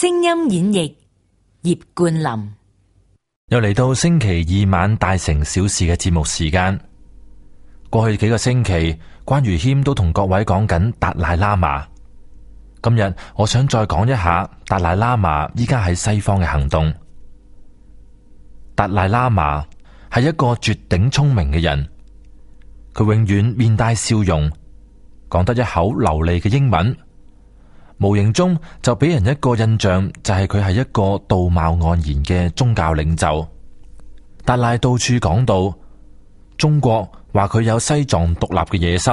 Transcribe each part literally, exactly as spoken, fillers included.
聲音演繹葉冠霖。又嚟到星期二晚大城小事嘅節目時間。過去幾個星期，關如謙都同各位講緊達賴喇嘛。今日我想再講一下達賴喇嘛依家喺西方嘅行動。達賴喇嘛係一個絕頂聰明嘅人，佢永遠面帶笑容，講得一口流利嘅英文，無形中就俾人一個印象，就係佢係一個道貌岸然嘅宗教領袖。達賴到處講到中國話佢有西藏獨立嘅野心，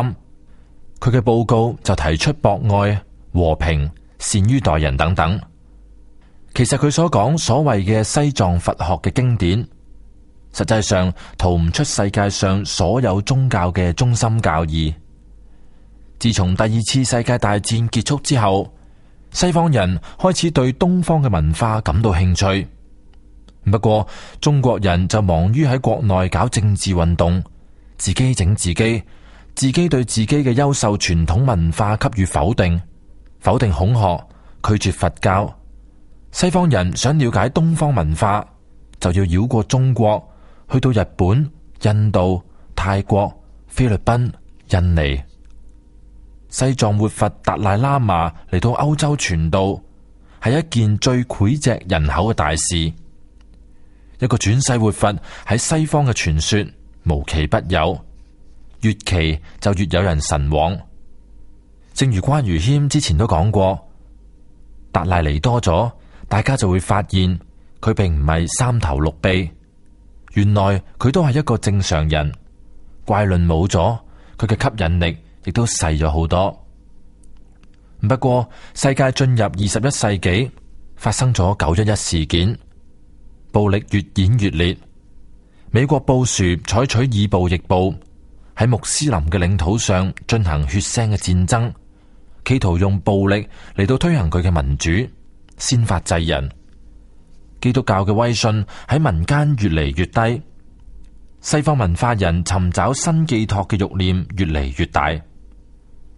佢嘅報告就提出博愛、和平、善於待人等等。其實佢所講所謂嘅西藏佛學嘅經典，實際上逃唔出世界上所有宗教嘅中心教義。自從第二次世界大戰結束之後，西方人開始對東方嘅文化感到興趣。不過中國人就忙於喺國內搞政治運動，自己整自己，自己對自己嘅優秀傳統文化給予否定，否定孔學，拒絕佛教。西方人想了解東方文化，就要繞過中國，去到日本、印度、泰國、菲律賓、印尼。西藏活佛達賴喇嘛嚟到歐洲傳道，係一件最膾炙人口嘅大事。一個轉世活佛喺西方嘅傳說無奇不有，越奇就越有人神往。正如關如謙之前都講過，達賴嚟多咗，大家就會發現佢並唔係三頭六臂，原來佢都係一個正常人。怪論冇咗，佢嘅吸引力亦都細咗好多。不過世界進入二十一世紀，發生咗九一一事件，暴力越演越烈。美國布殊採取以暴易暴，喺穆斯林嘅領土上進行血腥嘅戰爭，企圖用暴力嚟到推行佢嘅民主，先發制人。基督教嘅威信喺民間越嚟越低，西方文化人尋找新寄託嘅慾念越嚟越大。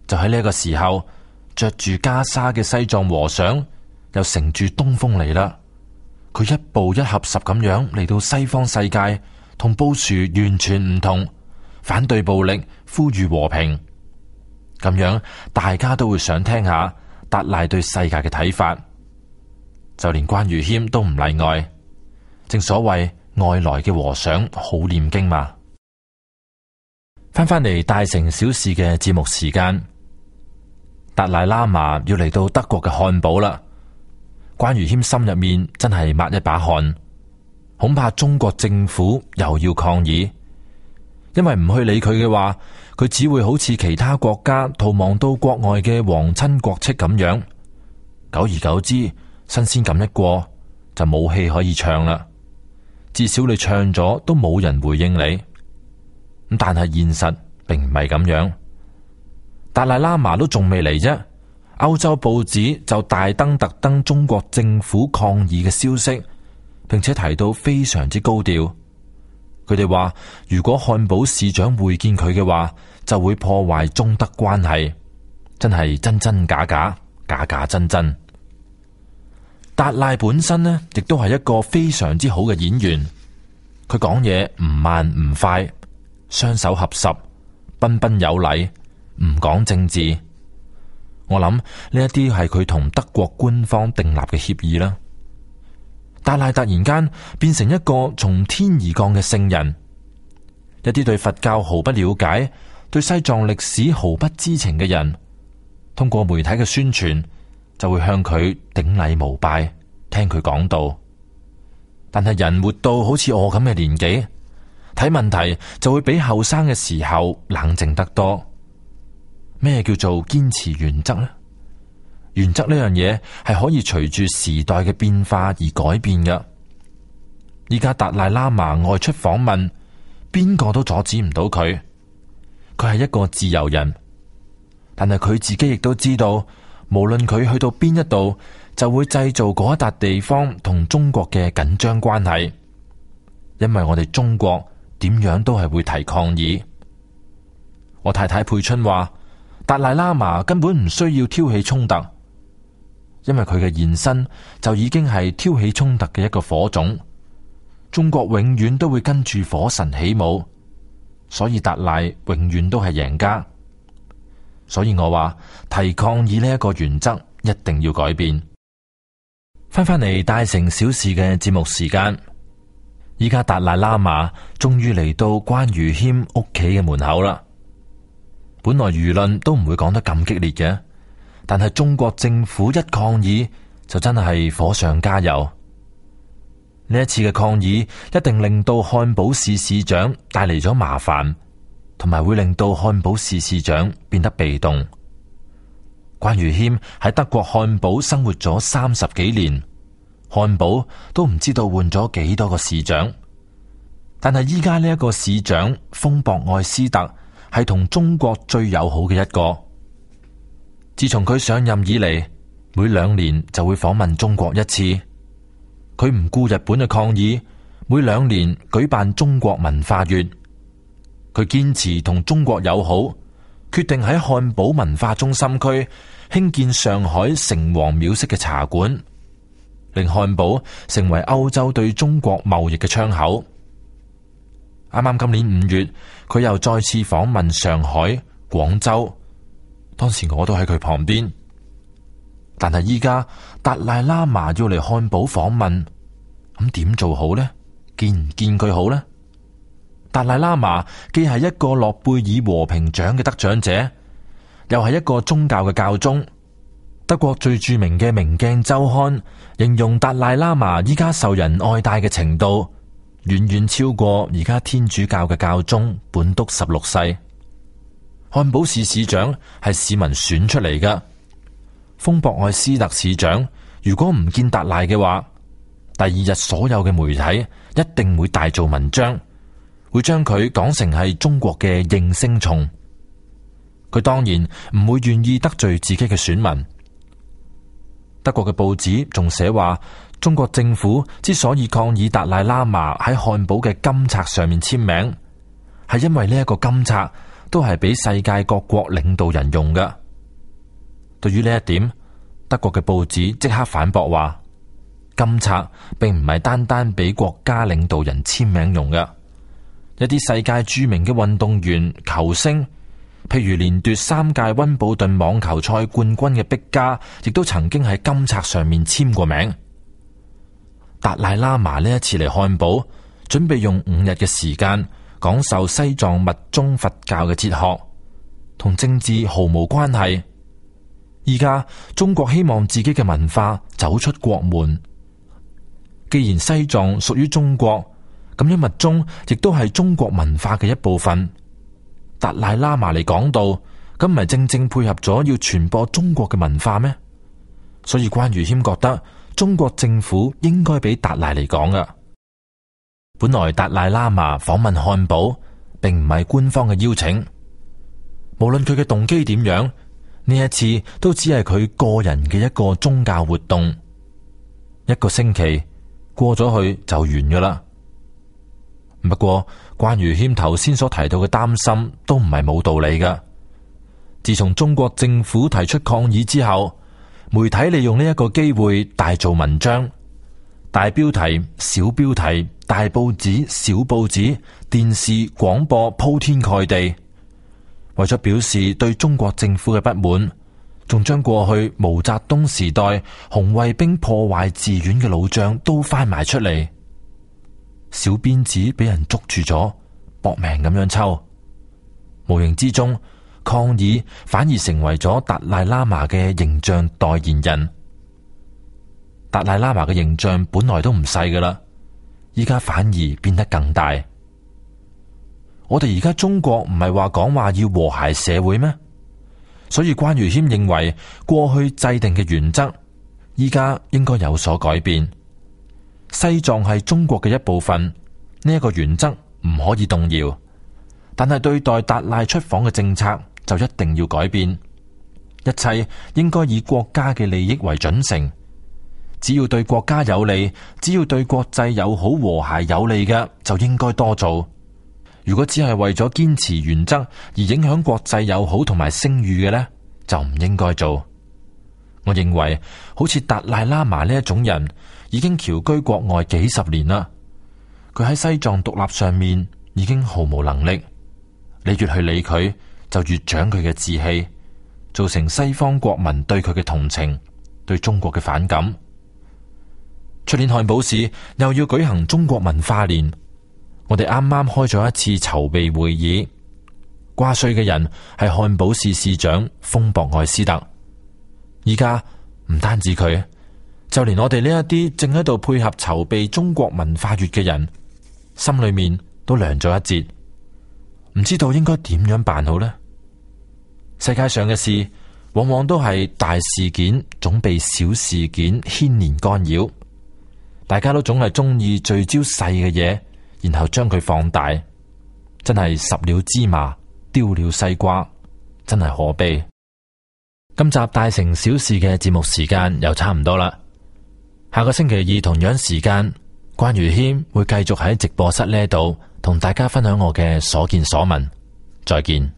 就喺呢個時候，着住袈裟嘅西藏和尚又乘住東風嚟啦。佢一步一合十咁樣嚟到西方世界，同布殊完全唔同，反對暴力，呼籲和平。咁樣大家都會想聽下達賴對世界嘅睇法，就連關如謙都唔例外。正所謂外來嘅和尚好念經嘛。翻返嚟大城小事嘅節目時間，達賴喇嘛要嚟到德國嘅漢堡啦。關如謙心入面真係抹一把汗，恐怕中國政府又要抗議，因為唔去理佢嘅話，佢只會好似其他國家逃亡到國外嘅皇親國戚咁樣，久而久之新鮮感一過就冇戲可以唱啦。至少你唱咗都冇人回應你。咁但係現實並唔係咁樣，達賴喇嘛都仲未嚟啫。歐洲報紙就大登特登中國政府抗議嘅消息，並且提到非常之高調。佢哋話如果漢堡市長會見佢嘅話，就會破壞中德關係。真係真真假假，假假真真。達賴本身呢，亦都係一個非常之好嘅演員。佢講嘢唔慢唔快，雙手合十，彬彬有禮，唔講政治。我諗呢一啲係佢同德國官方訂立嘅協議啦。達賴突然間變成一個從天而降嘅聖人，一啲對佛教毫不了解、對西藏歷史毫不知情嘅人，通過媒體嘅宣傳，就會向佢頂禮膜拜，聽佢講道。但係人活到好似我咁嘅年紀，睇問題就會比後生嘅時候冷靜得多。咩叫做堅持原則呢？原則呢樣嘢係可以隨住時代嘅變化而改變嘅。依家達賴喇嘛外出訪問，邊個都阻止唔到佢。佢係一個自由人，但係佢自己亦都知道，無論佢去到邊一度，就會製造嗰一笪地方同中國嘅緊張關係。因為我哋中國點樣都係會提抗議。我太太佩春話，達賴喇嘛根本唔需要挑起衝突，因為佢嘅現身就已經係挑起衝突嘅一個火種。中國永遠都會跟住火神起舞，所以達賴永遠都係贏家。所以我話提抗議呢一個原則一定要改變。翻返嚟大城小事嘅節目時間，依家達賴喇嘛終於嚟到關愚謙屋企嘅門口啦。本來輿論都唔會講得咁激烈嘅，但係中國政府一抗議就真係火上加油。呢一次嘅抗議一定令到漢堡市市長帶嚟咗麻煩，同埋會令到漢堡市市長變得被動。關愚謙喺德國漢堡生活咗三十幾年，漢堡都唔知道換咗幾多個市長，但係依家呢一個市長豐博愛斯特係同中國最友好嘅一個。自從佢上任以嚟，每兩年就會訪問中國一次。佢唔顧日本嘅抗議，每兩年舉辦中國文化月。佢堅持同中國友好，決定喺漢堡文化中心區興建上海城隍廟式嘅茶館，令漢堡成為歐洲對中國貿易嘅窗口。啱啱今年五月，佢又再次訪問上海、廣州，當時我都喺佢旁邊。但係依家達賴喇嘛要嚟漢堡訪問，咁點做好呢？見唔見佢好呢？達賴喇嘛既係一個諾貝爾和平獎嘅得獎者，又係一個宗教嘅教宗。德國最著名嘅《明鏡周刊》形容達賴喇嘛依家受人愛戴嘅程度，遠遠超過而家天主教嘅教宗本篤十六世。漢堡市市長係市民選出嚟㗎。豐博愛斯特市長如果唔見達賴嘅話，第二日所有嘅媒體一定會大做文章，會將佢講成係中國嘅應聲蟲。佢當然唔會願意得罪自己嘅選民。德國嘅報紙仲寫話，中國政府之所以抗議達賴喇嘛喺漢堡嘅金冊上面簽名，係因為呢一個金冊都係俾世界各國領導人用㗎。對於呢一點，德國嘅報紙即刻反駁話，金冊並唔係單單俾國家領導人簽名用嘅。一啲世界著名嘅運動員、球星，譬如連奪三屆溫布頓網球賽冠軍嘅碧加，亦都曾經喺金冊上面簽過名。達賴喇嘛呢一次嚟漢堡，準備用五日嘅時間講授西藏密宗佛教嘅哲學，同政治毫無關係。而家中國希望自己嘅文化走出國門，既然西藏屬於中國，咁樣密宗亦都係中國文化嘅一部分。達賴喇嘛嚟講道，咁唔係正正配合咗要傳播中國嘅文化咩？所以關愚謙覺得中國政府應該俾達賴嚟講噶。本來達賴喇嘛訪問漢堡並唔係官方嘅邀請，無論佢嘅動機點樣，呢一次都只係佢個人嘅一個宗教活動。一個星期過咗去就完噶啦。不過關愚謙頭先所提到嘅擔心都唔係冇道理噶。自從中國政府提出抗議之後，媒體利用呢一個機會大做文章，大標題、小標題、大報紙、小報紙、電視、廣播鋪天蓋地，為咗表示對中國政府嘅不滿，仲將過去毛澤東時代紅衛兵破壞寺院嘅老賬都翻埋出嚟。小辮子俾人捉住咗，搏命咁樣抽，無形之中抗議反而成為咗達賴喇嘛嘅形象代言人。達賴喇嘛嘅形象本來都唔細噶啦，依家反而變得更大。我哋而家中國唔係話講話要和諧社會咩？所以關愚謙認為過去制定嘅原則，依家應該有所改變。西藏係中國嘅一部分，呢一個原則唔可以動搖。但係對待達賴出訪嘅政策就一定要改變，一切應該以國家嘅利益為準繩。只要對國家有利，只要對國際友好和諧有利嘅，就應該多做。如果只係為咗堅持原則而影響國際友好同埋聲譽嘅呢，就唔應該做。我認為好似達賴喇嘛呢一種人，已經僑居國外幾十年啦。佢喺西藏獨立上面已經毫無能力，你越去理佢，就越長佢嘅志氣，造成西方國民對佢嘅同情，對中國嘅反感。出年漢堡市又要舉行中國文化年，我哋啱啱開咗一次籌備會議，掛帥嘅人係漢堡市市長豐博愛斯特。而家唔單止佢，就連我哋呢一啲正喺度配合籌備中國文化月嘅人，心裏面都涼咗一截，唔知道應該點樣辦好呢？世界上嘅事往往都係大事件總被小事件牽連干擾，大家都總係中意聚焦細嘅嘢，然後將佢放大，真係十了芝麻丟了西瓜，真係可悲。今集大城小事嘅節目時間又差唔多啦，下個星期二同樣時間，關於謙會繼續喺直播室呢度同大家分享我嘅所見所聞。再見。